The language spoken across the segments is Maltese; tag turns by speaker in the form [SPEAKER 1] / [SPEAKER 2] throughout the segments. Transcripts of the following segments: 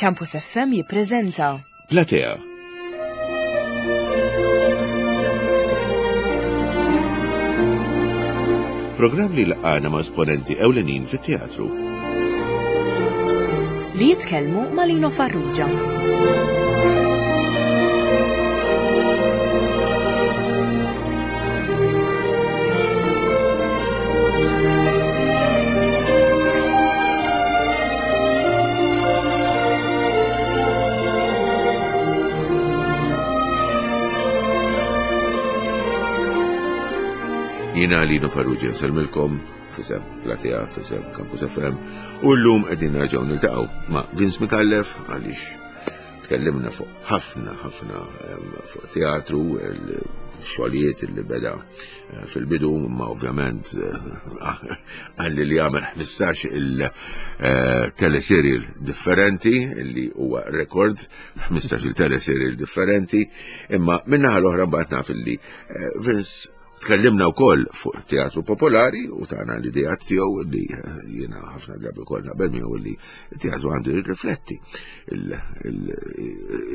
[SPEAKER 1] Campus FM jippreżenta
[SPEAKER 2] Platea. Programm li laqgħana ma' esponenti ewlenin fit-teatru.
[SPEAKER 1] Li jitkellmu ma' Lino Farrugia.
[SPEAKER 2] Jina Lino Farrugia nselmilkom fisem Platea, fisem Campus FM u l-lum qegħdin nerġgħu niltaqgħu ma' Vince Micallef għaliex tkellimna fuq ħafna ħafna fuq teatru, xogħlijiet li beda eh, fil-bidu, ma ovvjament eh, għalli li għamel 15 il-teleserial eh, differenti, li huwa rekord, 15 il-teleserial differenti, imma minnaħa l-oħra mbagħad naf li Vince Tkellimna wkoll fuq teatru popolari u tagħna l-ideat tiegħu li eh, jiena ħafna drabi wkoll naqbel miegħu li teatru għandu jirrifletti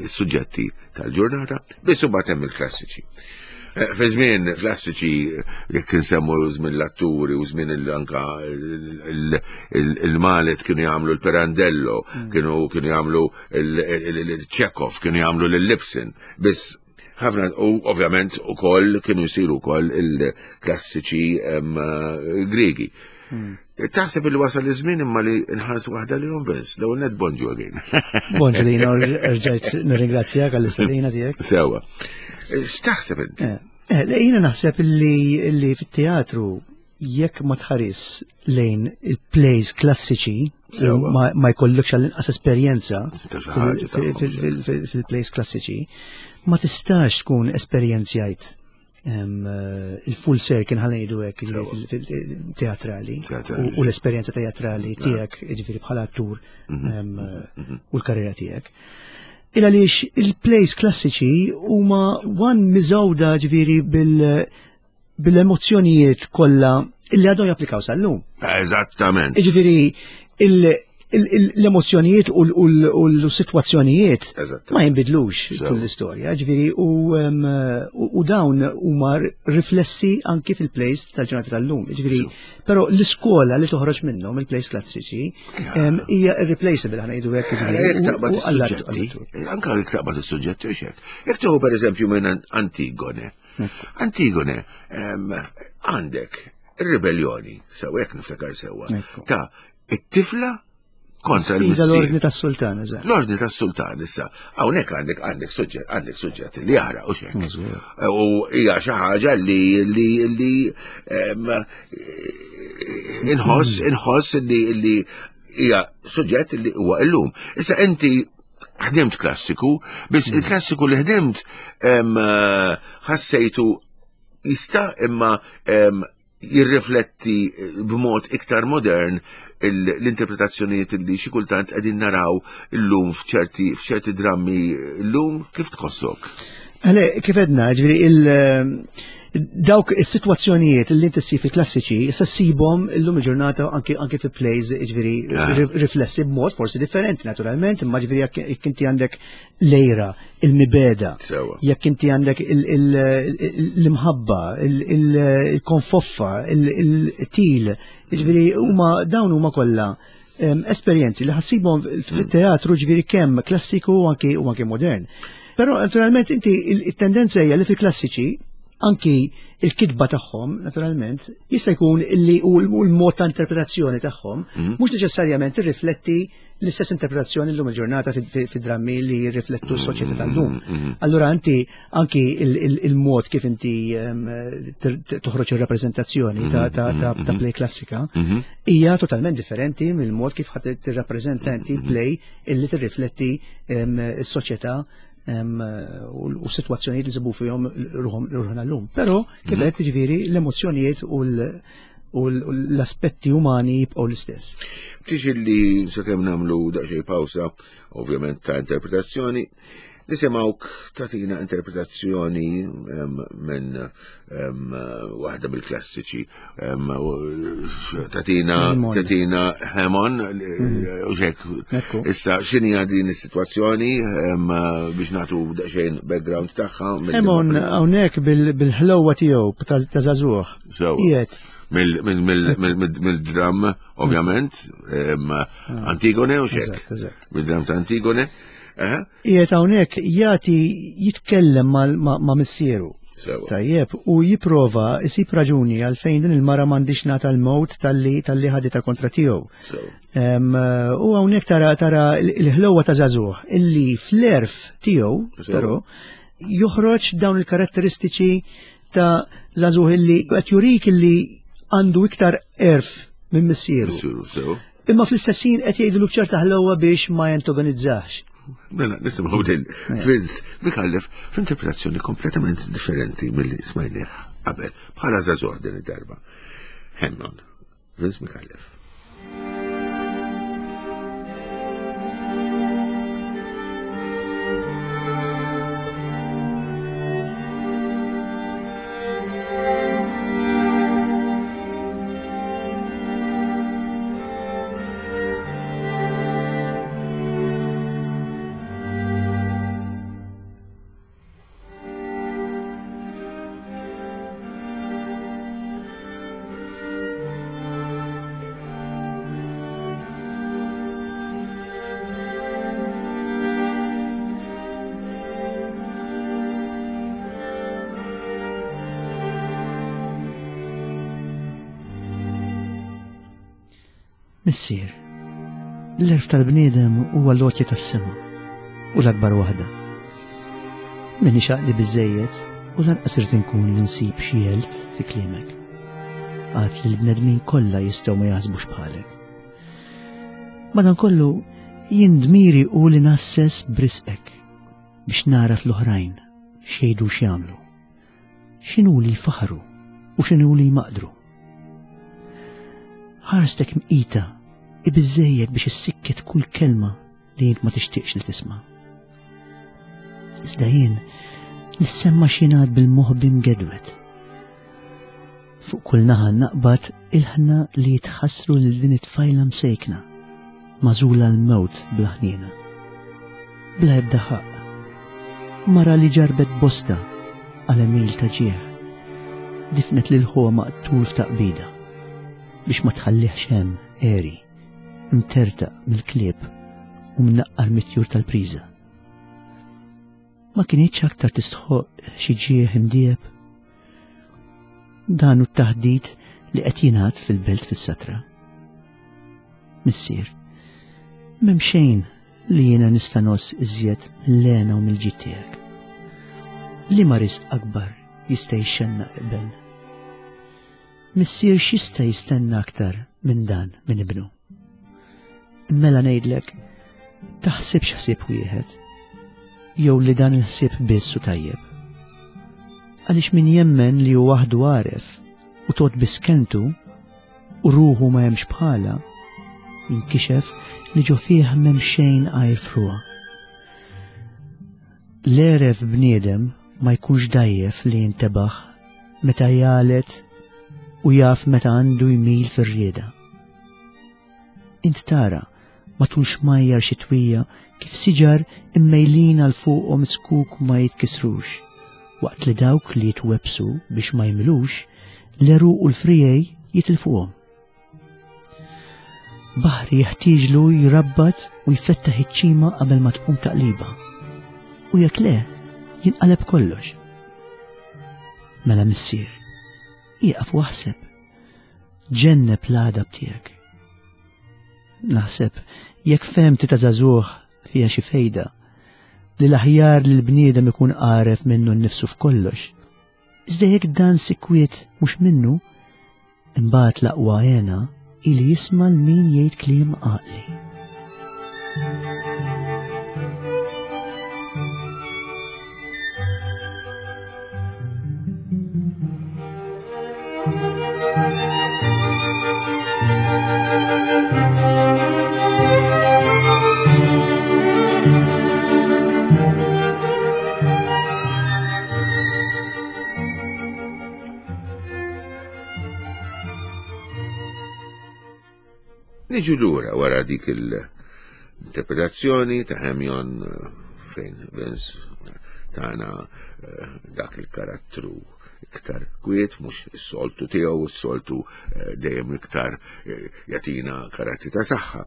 [SPEAKER 2] il-suġġetti tal-ġurnata, biss imbagħad hemm il-klassiċi. Eh, fi żmien klassiċi jekk insemmu żmien l-atturi u żmien anka il-Malet kienu jagħmlu l-Pirandello, mm. kienu kienu jagħmlu il-Chekhov, kienu jagħmlu l-Lipsin, biss ħafna u ovvjament ukoll kienu jsiru wkoll il-klassiċi Griegi. Hmm. Taħseb li wasal iż-żmien imma li nħarsu waħda li Vince, l-ewwel net bonġu again.
[SPEAKER 3] Bonġu li rġajt nirringrazzjak għall-istedina tiegħek.
[SPEAKER 2] Sewa. X'taħseb inti?
[SPEAKER 3] Eh, eh, jiena naħseb li fit-teatru jekk ma tħares lejn il-plays klassiċi ma jkollokx għall-inqas esperjenza fil-plays klassiċi, ma tistax tkun esperjenzjajt eh, il-full circle ħanejdu hekk teatrali u l-esperjenza teatrali tiegħek jiġifieri bħala attur mhm. Mhm. u l-karriera tiegħek. Il għaliex il-plays klassiċi huma one miżawda ġifieri bil- bil-emozzjonijiet kollha illi għadhom japplikaw sal-lum.
[SPEAKER 2] Eżattament.
[SPEAKER 3] Jiġifieri l-emozzjonijiet u l-sitwazzjonijiet ma jinbidlux tul l-istorja, ġifieri u dawn huma riflessi anki fil-plays tal-ġurnata tal-lum. Ġifieri, però l-iskola li toħroġ minnhom il-plays klassiċi hija irreplaceable ħana jgħidu hekk.
[SPEAKER 2] Jekk taqbad is-suġġetti, anke jekk taqbad is-suġġetti u xek. Jekk tieħu pereżempju minn Antigone, Antigone, għandek ir-ribellioni, sew jekk niftakar sewwa, ta' it-tifla kontra l-missier.
[SPEAKER 3] L-ordni tas-sultan, eżatt.
[SPEAKER 2] L-ordni tas-sultan issa. Hawnhekk għandek għandek suġġett għandek suġġett li jaħraq u xek. U hija xi ħaġa li li li inħoss inħoss li li hija suġġett li huwa illum. Issa inti ħdimt klassiku, biss hmm. il-klassiku li ħdimt eh, ħassejtu jista' imma jirrifletti b'mod iktar modern l-interpretazzjonijiet li xi kultant qegħdin naraw illum f'ċerti f'ċerti drammi llum kif tħossok?
[SPEAKER 3] Għale, kif edna, ġifieri il- dawk is-sitwazzjonijiet li inti ssib fil-klassiċi, issa ssibhom illum il-ġurnata anki anki fi plays ġifieri ah. riflessi b'mod forsi differenti naturalment, imma ġifieri jekk inti għandek lejra, il-mibeda, jekk inti għandek l-imħabba, il-konfoffa, il-til, ġifieri huma dawn huma kollha esperjenzi li ħassibhom fit-teatru ġifieri kemm klassiku u anki u anki modern. Però naturalment inti il-tendenza hija li fil-klassiċi anki il-kitba tagħhom naturalment jista' jkun li u l-mod ta' interpretazzjoni tagħhom mhm. mhux neċessarjament irrifletti l-istess interpretazzjoni llum il-ġurnata fi drammi li jirriflettu s-soċjetà tal-lum. Mhm, mhm. Allura inti anki il-mod kif inti toħroġ ir-rappreżentazzjoni ta' play klassika hija totalment differenti mill-mod kif ħadd tirrappreżenta inti play illi tirrifletti s-soċjetà u s-sitwazzjonijiet li nsibu fihom ruħna llum. Però kif qed jiġifieri l-emozzjonijiet u l-aspetti umani jibqgħu l-istess.
[SPEAKER 2] Tiġi li sakemm nagħmlu daqsxejn pawsa, ovvjament ta' interpretazzjoni, Nisimgħuk tagħtina interpretazzjoni minn waħda mill-klassiċi tagħtina tagħtina Hemon mhm. u xek. Issa x'inhi din is-sitwazzjoni biex nagħtu daqsxejn background tagħha.
[SPEAKER 3] Hemon hawnhekk bil-ħlewwa tiegħu ta' żagħżugħ.
[SPEAKER 2] Qiegħed mill-dram, ovvjament, Antigone u xek. Mid-dram ta' Antigone.
[SPEAKER 3] Qiegħed hawnhekk jagħti jitkellem ma' missieru. Tajjeb, u jipprova jsib raġuni għalfejn din il-mara m'għandix nagħta l-mewt talli talli ħaditha kontra tiegħu. U hawnhekk tara tara l-ħlewwa ta' żagħżugħ illi fl-erf tiegħu, però, joħroġ dawn il-karatteristiċi ta' żagħżugħ illi qed jurik illi għandu iktar erf minn missieru. Imma fl-istess ħin qed jgħidlu b'ċerta ħlewwa biex ma jantagonizzax.
[SPEAKER 2] Mela, nisimgħu din Vince Mikallef f'interpretazzjoni kompletament differenti milli smajnieh qabel bħala żagħżugħ din id-darba. Hemnon, Vince Mikallef.
[SPEAKER 3] Missier, l-erf tal-bniedem huwa l-għotja tas-sema u l-akbar waħda. Minni xaqli biżejjed u lanqas irid inkun li nsib xi għelt fi kliemek. Għad li l-bnedmin kollha jistgħu ma jaħsbux bħalek. Madankollu jien dmiri u li nasses brisqek biex naraf l-oħrajn x'jgħidu x'jagħmlu. X'inhu li jfaħru u x'inhu li jmaqdru. Ħarstek mqita i biżejjed biex issikket kull kelma li int ma tixtieqx li tisma'. Iżda jien nissemma x'jingħad bil-moħbi mgedwed. Fuq kull naħa naqbad ilħna li jitħassru lil din it-tfajla msejkna, magħżula l-mewt bla ħniena. Bla ebda ħaqq. Mara li ġarbet bosta għal għemil ta' ġieħ. Difnet lil ħuha maqtul f'taqbida biex ma tħallihx hemm għeri, mtertaq mill-klieb u mnaqqar mit-tjur tal-priża. Ma kinitx aktar tistħoq xi ġieħ imdieb. Dan hu t-taħdit li qed jingħad fil-belt fis-satra. Missier, m'hemm xejn li jiena nista' ngħożż iżjed mill-hena u mill-ġid tiegħek. Liema risq akbar jista' jixxennaq iben? Missier x'jista' jistenna aktar minn dan minn ibnu? Mela ngħidlek, taħsibx ħsieb wieħed, jew li dan il-ħsieb biss u tajjeb. Għaliex min jemmen li hu waħdu għaref u tot biss kentu u ruħu ma hemmx bħala, jinkixef li ġo fih m'hemm xejn għajr fruha. L-għeref bniedem ma jkunx dajjef li jintebaħ meta jgħalet u jaf meta għandu jmil fir-rieda. Int tara matul xmajjar xitwija kif siġar immejlin għal fuqhom zkuk ma jitkissrux, waqt li dawk li jitwebbsu biex ma jmilux, l-għeruq u l-friegħi jitilfuhom. Baħri jeħtieġlu jrabbat u jfettaħ iċ-ċima qabel ma tqum taqliba. U jekk le, jinqaleb kollox. Mela missier, ieqaf u aħseb. Ġenneb l-għadab tiegħek. Naħseb jekk fehmti ta' żagħżugħ fiha xi fejda, li l-aħjar li l-bniedem ikun għaref minnu nnifsu f'kollox. Iżda jekk dan sikwiet mhux minnu, imbagħad l-aqwa għena ili jisma' l min jgħid kliem għaqli.
[SPEAKER 2] Niġu lura wara dik il-interpretazzjoni ta' Hemion eh, fejn Vince tana eh, dak il-karattru iktar kwiet, mhux is-soltu tiegħu, is-soltu eh, dejjem iktar jagħtina karattri ta' saħħa.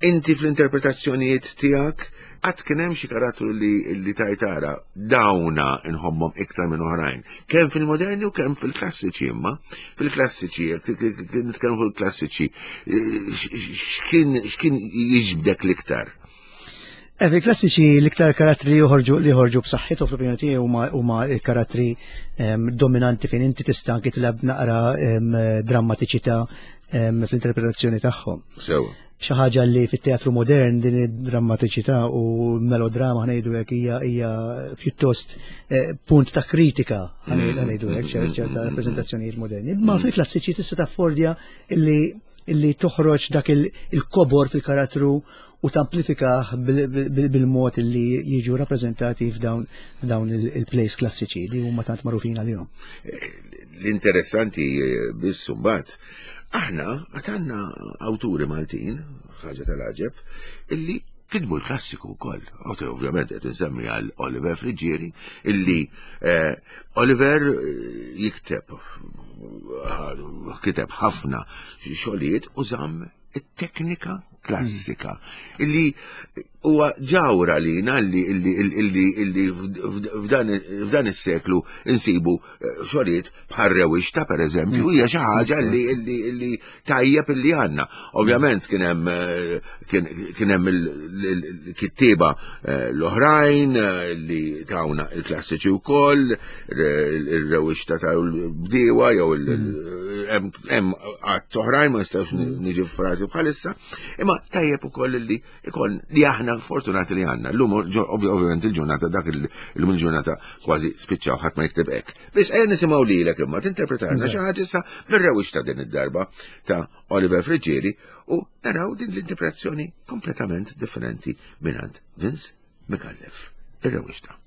[SPEAKER 2] Inti fl-interpretazzjonijiet tiegħek qatt kien hemm xi karattru li, li tajtara dawna nħobbhom iktar minn oħrajn. Kemm fil-moderni u kemm fil-klassiċi imma. Fil-klassiċi, nitkellmu fil-klassiċi, x'kien jiġbdek l-iktar?
[SPEAKER 3] Eh, fil-klassiċi l-iktar karattri li joħorġu li joħorġu b'saħħithom fl-opinjoni tiegħi huma huma l-karattri ehm, dominanti fejn inti tista' anki tilab naqra ehm, drammatiċità ehm, fl-interpretazzjoni tagħhom.
[SPEAKER 2] Sewa.
[SPEAKER 3] Xi ħaġa li fit-teatru modern din id-drammatiċità u melodrama ħnejdu hekk hija hija pjuttost eh, punt ta' kritika ħanejdu hekk ċerta mm, rappreżentazzjonijiet moderni. Ma fil-klassiċi tista' taffordja illi illi toħroġ dak il-kobor fil-karattru u tamplifikah bil-mod li jiġu rappreżentati f'dawn il-plays klassiċi li huma tant magħrufin għalihom.
[SPEAKER 2] L-interessanti eh, biss mbagħad aħna għad awturi Maltin, ħaġa tal-għaġeb, illi kitbu l-klassiku wkoll. Ovvjament qed insemmi għal Oliver Friggieri illi eh, Oliver eh, jikteb kiteb ħafna xogħlijiet u żamm it-teknika klassika illi huwa ġawra lina illi illi illi f'dan is-seklu insibu eh, xogħlijiet bħal rewixta pereżempju hija xi ħaġa illi illi illi tajjeb illi għandna. Ovvjament kien hemm eh, kien hemm il-kittieba eh, l-oħrajn li tawna il-klassiċi wkoll, ir-rewixta tal-bdiewa jew hemm għadd oħrajn ma nistax niġi frażi bħalissa, imma tajjeb ukoll li ikon li aħna fortunati li għandna. Llum ovvjament il-ġurnata dak illum il-ġurnata kważi spiċċaw ħadd ma jikteb hekk. Biss ejja nisimgħu lilek imma tinterpretarna xi ħaġa issa mir-rewix ta' din id-darba ta' Oliver Friggieri u naraw din l-interpretazzjoni kompletament differenti mingħand Vince Micallef. Ir-rewixta.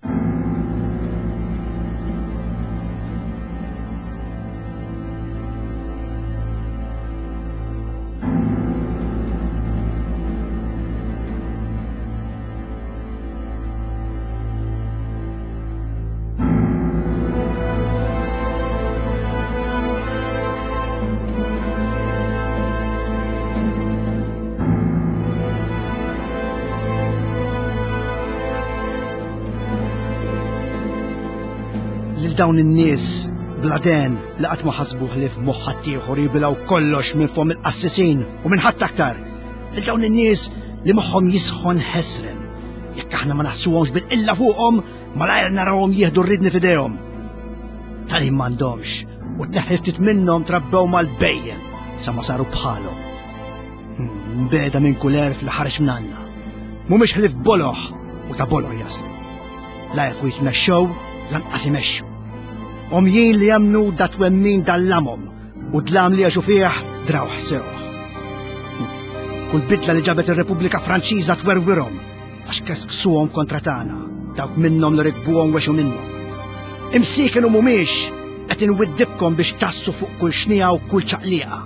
[SPEAKER 3] Lil dawn in-nies bla den li qatt ma ħasbu ħlief moħħ ħaddieħor jibilgħu kollox minn fomm il-qassisin u minn ħadd aktar. Lil dawn in-nies li moħħhom jisħon ħesrem. Jekk aħna ma naħsuhomx bil-qilla fuqhom, malajr narawhom jieħdu r-ridni f'idejhom. Tali m'għandhomx u tneħħi ftit minnhom trabbew mal-bejjem sa ma saru bħalhom. Hmm, beda minn kull erf li ħareġ minn għandna. Mhumiex ħlif boloħ u ta' boloħ jaslu. La jafu jitmexxew, lanqas imexxu. Omjin li jemnu da twemmin dal-lamom u dlam li għaxu fih drawh sew. Kull bidla li ġabet ir-Repubblika Franċiża twerwirhom għax kesksuhom kontra tagħna, dawk minnhom li rikbuhom wexu minnhom. Imsieken u mhumiex qed inwiddibkom biex tassu fuq kull xnija u kull ċaqliqa.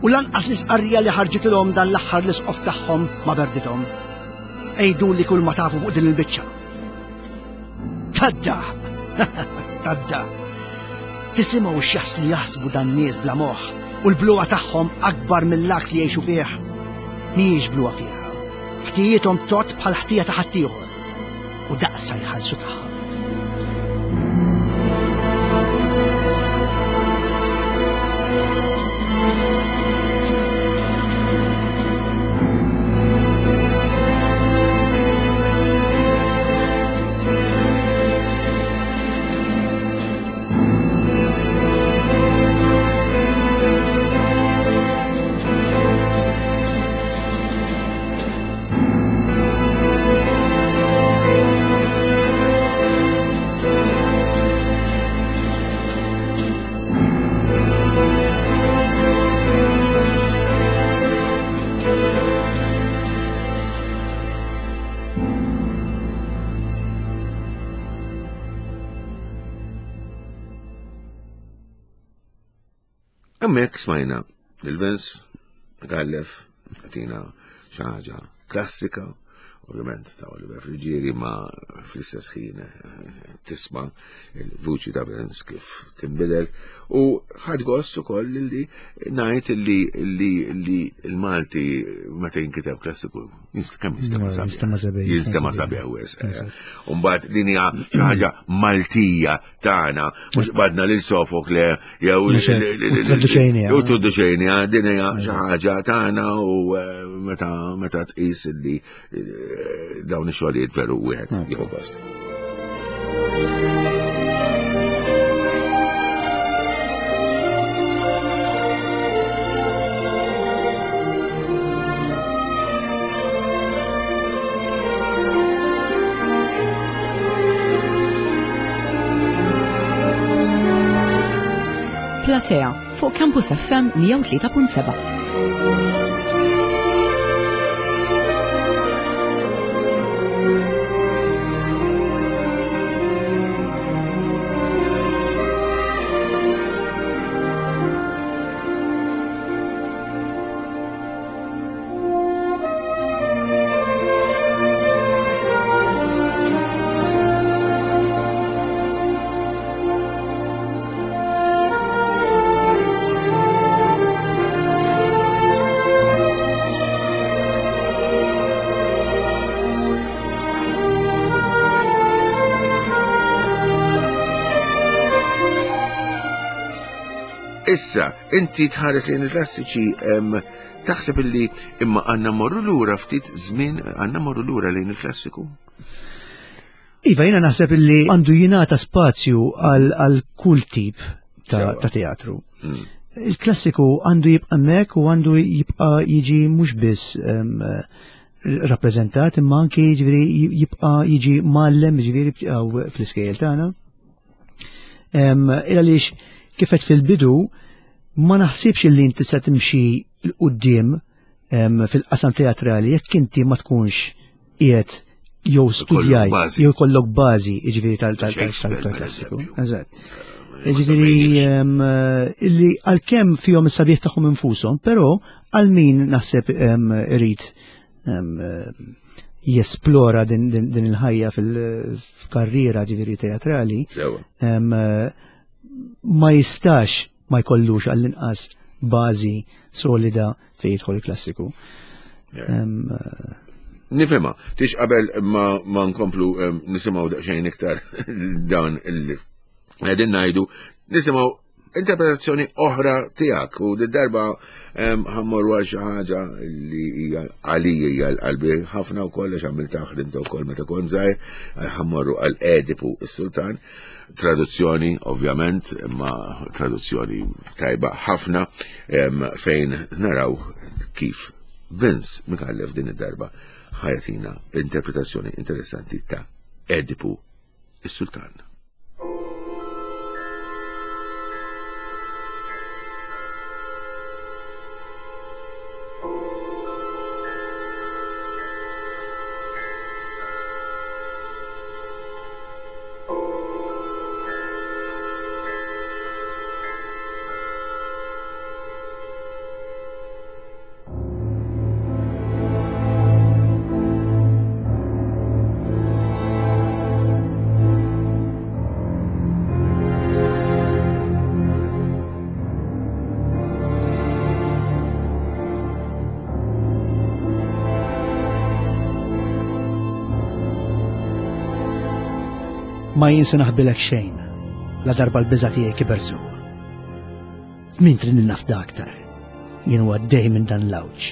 [SPEAKER 3] U lanqas l-isqarrija li ħarġitilhom dan l-aħħar l-isqof tagħhom ma berdithom. Għidu li kull ma tafu fuq din il-biċċa. Tadda! Tadda! Tisimgħu x'jaslu jaħsbu dan nies bla moħħ u l-bluha tagħhom akbar mill-aks li jgħixu fih. Mhijiex bluha fiha. Ħtijiethom tot bħal ħtija ta' ħaddieħor u daqsa jħallsu tagħha.
[SPEAKER 2] Hemmhekk smajna il-Vince Gallef. Tina xi ħaġa klassika, ovvjament ta' Oliver Friggieri ma fl-istess ħin eh, tisma' il-vuċi ta' Vince kif tinbidel u ħadd gost ukoll li ngħid li li li l-Malti meta jinkiteb klassiku kemm jistema sabiħ. Jinstema sabiħ wis. Eh. Umbagħad din hija xi ħaġa Maltija tagħna, mhux badna lil Sofokle jew U traduċejnija din hija xi ħaġa tagħna u eh, meta meta tqis li eh, dawn ix-xogħlijiet veru wieħed mm. jieħu gost.
[SPEAKER 1] Platea fuq Campus FM 103.7.
[SPEAKER 2] Issa, inti tħares lejn il-klassiċi Taħseb illi imma għandna morru lura ftit żmien għandna morru lura lejn il-klassiku?
[SPEAKER 3] Iva, jiena naħseb illi għandu jingħata spazju għal kull tip ta' teatru. Mm. Il-klassiku għandu jibqa' hemmhekk u għandu jibqa' jiġi mhux biss rappreżentat imma anki jiġifieri jibqa' jiġi mgħallem jiġifieri fl-iskejjel tagħna. Il għaliex kifet fil-bidu ma naħsibx li inti se timxi 'l quddiem fil-qasam teatrali jekk inti ma tkunx qiegħed jew studjajt jew jkollok bażi jiġifieri tal-klassiku. Eżatt. Jiġifieri illi għalkemm fihom is-sabiħ tagħhom infushom, però għal min naħseb irid jesplora din il-ħajja fil-karriera ġifieri teatrali, ma jistax ma jkollux għall-inqas bażi solida fejn jidħol il-klassiku.
[SPEAKER 2] Nifhimha, tix qabel ma, ma nkomplu nisimgħu daqsxejn iktar dan il qegħdin ngħidu, nisimgħu interpretazzjoni oħra tiegħek u darba ħammorru għal xi ħaġa li hija għalija hija l-qalbi ħafna wkoll għax għamilta ħdimta wkoll meta kont żgħir, ħammorru għal Edipu s-Sultan. Traduzzjoni, ovvjament, imma traduzzjoni tajba ħafna fejn naraw kif Vince Micallef din id-darba ħajatina interpretazzjoni interessanti ta' Edipu is-Sultan.
[SPEAKER 3] Ma jien se naħbilek xejn, la darba l-biża' tiegħi kiber sewwa. Min trid nafda aktar, jien huwa għaddej minn dan l-għawġ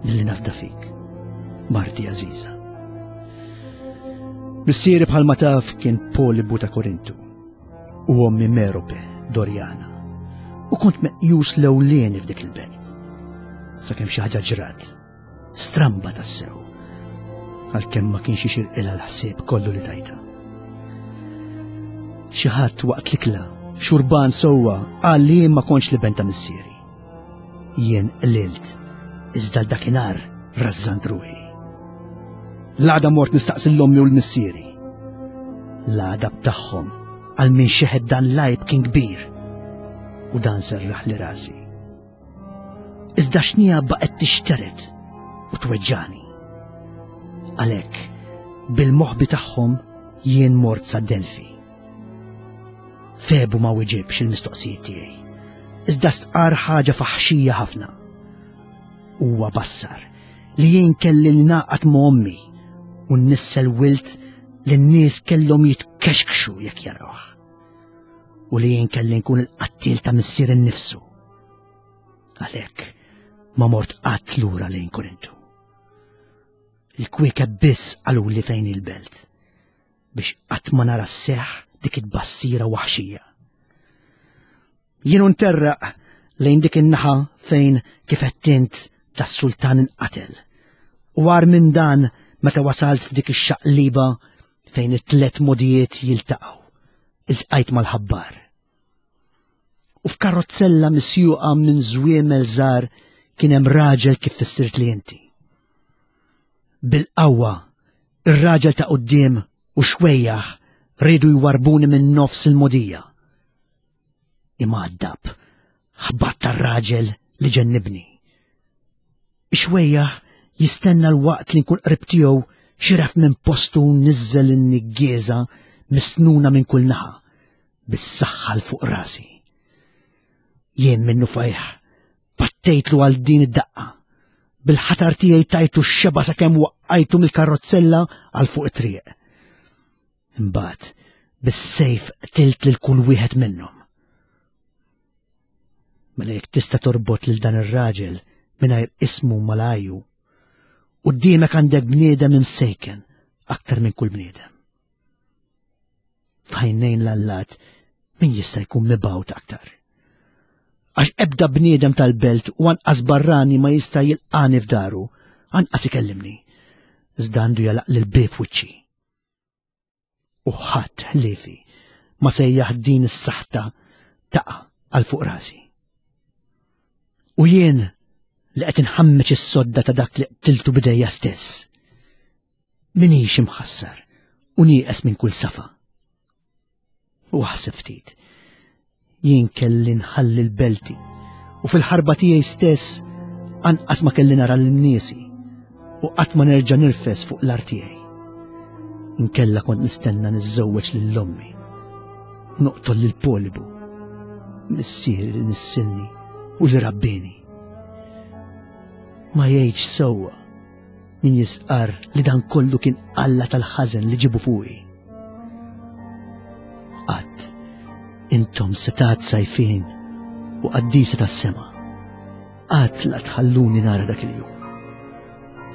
[SPEAKER 3] milli nafda fik, Marti Aziza. Missieri bħalma taf kien Polibu ta' Korintu u ommi Merope Dorjana u kont meqjus l-ewlieni f'dik il-belt. Sakemm xi ħaġa ġrat Stramba tassew, għalkemm ma kienx ixirqilha l-ħsieb kollu li tajta. Xi ħadd waqt l-ikla, xurban sewwa, qal li jien ma kontx li ta' missieri. Jien qlilt, iżda l-dakinhar rażżant ruħi. L-għada mort nistaqsi l-ommi u l-missieri. L-għadab tagħhom għal min xeħed dan l-għajb kien kbir u dan serraħ li rasi. Iżda xnija baqgħet tixteret u tweġġani. Għalhekk, bil-moħbi tagħhom jien mort sa Delfi. Febu ma wiġibx il-mistoqsijiet tiegħi. Iżda stqar ħaġa faħxija ħafna. Huwa bassar li jien kelli naqat ma' ommi u nnissel wilt li n-nies kellhom jitkexkxu jekk jarawh. U li jien kelli nkun il-qattil ta' missier innifsu. Għalhekk ma mort qatt lura lejn Korintu. Il-kwiekeb biss qaluli fejn il-belt biex qatt ma nara sseħħ dik it-tbassira waħxija. Jien nterraq lejn dik in-naħa fejn kif qed int tas-sultan inqatel. U għar minn dan meta wasalt f'dik ix-xaqliba fejn it-tlet modijiet jiltaqgħu, iltqajt mal-ħabbar. U f'karozzella misjuqa minn żwiemel żgħar kien hemm raġel kif fissirt li inti. Bil-qawwa, ir-raġel ta' quddiem u xwejjaħ riedu jwarbuni minn nofs il-mogħdija. Imgħaddab, ħbatt tar-raġel li ġennibni. Ix-xwejjaħ jistenna l-waqt li nkun qrib tiegħu xiref minn postu niżżel in-niggieża misnuna minn kull naħa bis-saħħa l fuq rasi. Jien minnu fajħ pattejtlu għal din id-daqqa. Bil-ħatar tiegħi tajtu x-xeba sakemm waqqajtu mill-karrozzella għal fuq it-triq. Imbagħad bis-sejf qtilt lil kull wieħed minnhom. Mela jekk tista' torbot lil dan ir-raġel mingħajr ismu malaju, quddiemek għandek bniedem imsejken aktar minn kull bniedem. F'għajnejn l-allat min jista' jkun mibgħut aktar? Għax ebda bniedem tal-belt u anqas barrani ma jista' jilqani f'daru, anqas ikellimni. Iżda għandu jalaq lil bieb wiċċi. U ħadd ħliefi ma sejjaħ din is-saħta taqa' għal fuq rasi. U jien li qed inħammeġ is-sodda ta' dak li qtiltu bidejja stess. Minix imħassar u nieqes minn kull safa. U aħseb ftit. Jien kelli nħalli l-belti u fil-ħarba tiegħi stess anqas ma kelli nara l-niesi u qatt ma nerġa' nirfes fuq l-art tiegħi. Inkella kont nistenna niżżewweġ lil ommi. Noqtol lil Polibu, missieri li nissilni u li rabbini. Ma jgħidx sewwa Min jistqarr li dan kollu kien Alla tal-ħażen li ġibu fuqi. Qatt intom setat sajfin u qaddisa tas-sema. Qatt la tħalluni nara dak il-jum.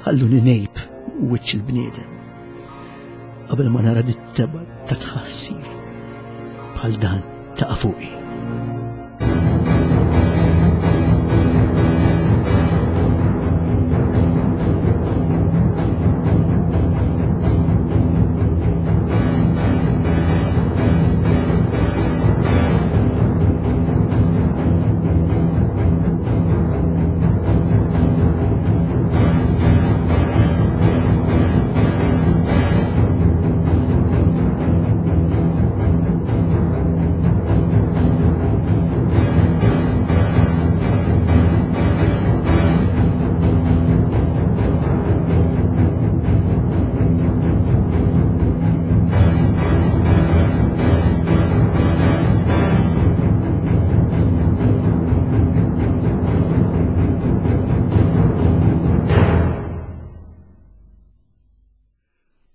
[SPEAKER 3] Ħalluni nejb wiċċ il-bniedem. Qabel ma nara dit-teba ta' tħassir bħal dan taqa' fuqi.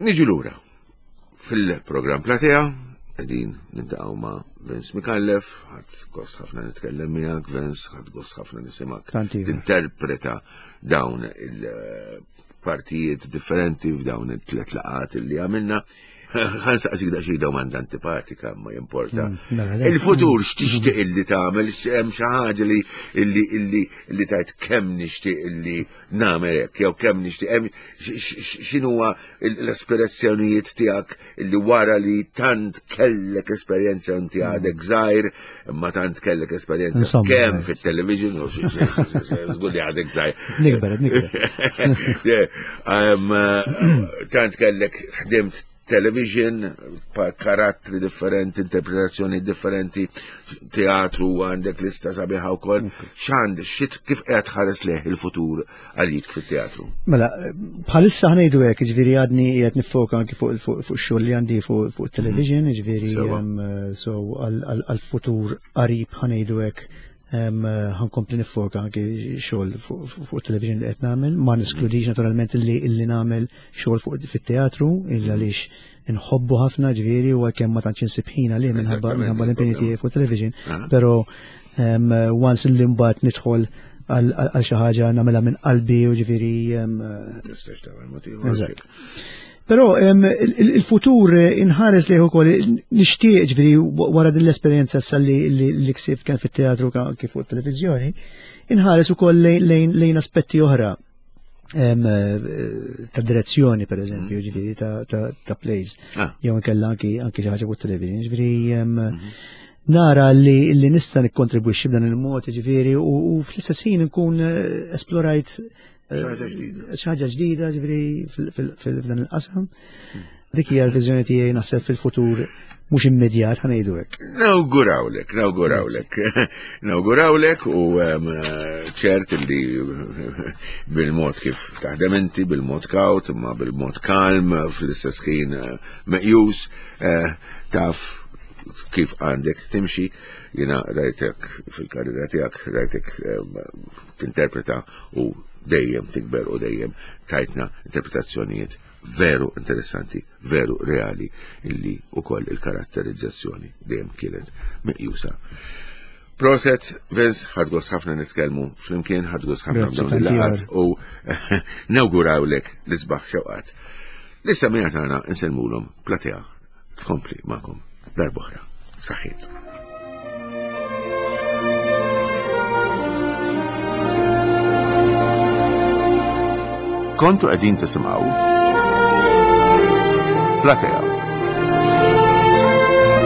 [SPEAKER 2] Niġu lura fil-programm Platea, qegħdin nintaqgħu ma' Vince Mikallef, ħadd gost ħafna nitkellem miegħek Vince, ħadd gost ħafna nisimgħek tinterpreta dawn il-partijiet differenti f'dawn it-tlet laqat li għamilna. Ħan saqsik daqsxejn domanda antipatika ma jimporta. Mm, mela, Il-futur x'tixtieq illi tagħmel, hemm xi ħaġa li illi illi li tajt kemm nixtieq illi nagħmel hekk jew kemm nixtieq hemm x'inhuwa l-aspirazzjonijiet tiegħek illi wara li tant kellek esperjenza inti mm. għadek żgħir, imma tant kellek esperjenza kemm fit-television u żgur li għadek żgħir.
[SPEAKER 3] Nikber, nikber.
[SPEAKER 2] Tant kellek ħdimt Television, karattri differenti, interpretazzjoni differenti, teatru għandek lista sabiħa wkoll. X'għand, xit kif qed ħares leh il-futur għalik fit-teatru?
[SPEAKER 3] Mela, bħalissa ħnejdu hekk, ġifieri għadni qiegħed nifoka anki fuq fuq xogħol li għandi fuq television, ġifieri so għal-futur qarib ħanejdu hekk ħankompli nifoka anki xogħol fuq television li qed nagħmel, ma neskludix naturalment li nagħmel xogħol fuq fit-teatru, illa għaliex inħobbu ħafna ġifieri u għalkemm ma tantx insib ħin għalih minħabba l-impenji tiegħi fuq television, però once li mbagħad nidħol għal xi ħaġa nagħmilha minn qalbi u ġifieri.
[SPEAKER 2] Tistax tagħmel motiv.
[SPEAKER 3] Però il-futur inħares lejh ukoll nixtieq ġifieri wara din l-esperjenza issa li ksibt kemm fit-teatru kif fuq televiżjoni, inħares ukoll lejn aspetti oħra ta' direzzjoni per eżempju, ġifieri ta' plays, jew inkella anki xi ħaġa fuq television, ġifieri nara li nista' nikkontribwixxi b'dan il-mod, ġifieri, u fl-istess ħin nkun esplorajt
[SPEAKER 2] xi
[SPEAKER 3] ħaġa ġdida, ġifieri f'dan il-qasam. Dik hija l-viżjoni tiegħi naħseb fil-futur mhux immedjat ħa ngħidu hekk.
[SPEAKER 2] Nawgurawlek, nawgurawlek. Nawgurawlek u ċert li bil-mod kif taħdem inti, bil-mod kawt, imma bil-mod kalm, fl-istess ħin meqjus, taf kif għandek timxi, jiena rajtek fil-karriera tiegħek, rajtek tinterpreta u dejjem tikber u dejjem tajtna interpretazzjonijiet veru interessanti, veru reali, illi u koll il-karatterizzazzjoni dejjem kienet meqjusa. Proset, Vince, ħadt gost ħafna nitkellmu flimkien, ħadt gost ħafna
[SPEAKER 3] Grazzi,
[SPEAKER 2] dawn il-laqgħat
[SPEAKER 3] tanti
[SPEAKER 2] u nawgurawlek l-isbaħ xewqat. Lis-semmiegħa tagħna nsellmulhom Platea tkompli magħkom darb'oħra. Saħħiet.
[SPEAKER 4] Kontu qegħdin tisimgħu Platea.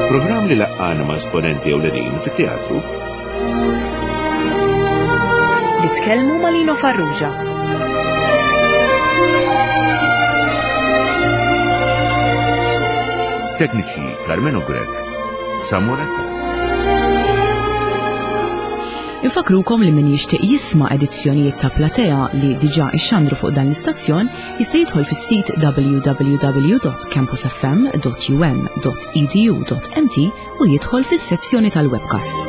[SPEAKER 2] Programm li laqqana ma' esponenti ewlenin fit-teatru
[SPEAKER 1] li tkellmu ma' Lino Farrugia.
[SPEAKER 4] Tekniċi Carmelo Grech, Samuel Attard.
[SPEAKER 1] Infakrukom li min jixtieq jisma' edizzjonijiet ta' Platea li diġà ixxandru fuq dan l-istazzjon jista' jidħol fis-sit www.campusfm.um.edu.mt u jidħol fis-sezzjoni tal-webcasts.